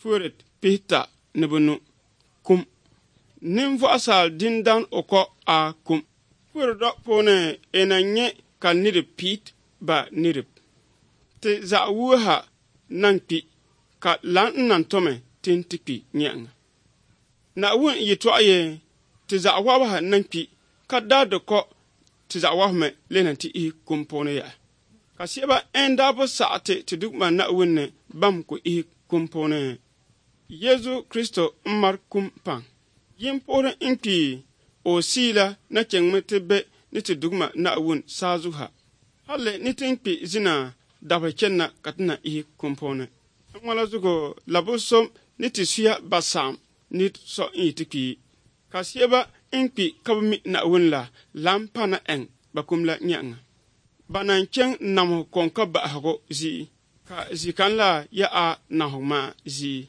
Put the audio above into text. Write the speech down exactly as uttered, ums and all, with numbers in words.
Puret pihita ni bɛ kum. Ninvuɣu saal dindan o kɔ a kum. Puret dɔ puuni ina nyɛ ka nirib piit ba nirib. Ti zaɣ wuha nan kpi ka lan n nan tɔmi tin ti kpi nyɛŋa. Naawuni yɛtɔɣa ye ti zaɣ wabiha nan kpi ka daa di kɔ ti zaɣ wabimi le na ti ihi kum puuni yaha. Ka shɛba n daa bi saɣa ti ti dugma Naawuni ni bam ku ihi kum puuni. Yezu Kristo n mari kum paŋ. Yin puhiri n kpi o siila na chɛŋmi ti be ni ti dugma Naawuni saazuha. Hali ni ti kpi zina dabiri chɛnna ka ti na ihi kum puuni. N ŋɔla zuɣu labi som ni ti suya ba saɣam ni so n yi ti kpi. Ka shɛba n kpi ka bi mi Naawuni la lan pa na ɛŋ ba kum la nyɛŋa. Ba nan chɛŋ namhu kɔŋ ka bahigu ʒii ka zikan la ya a nahu ma ʒii.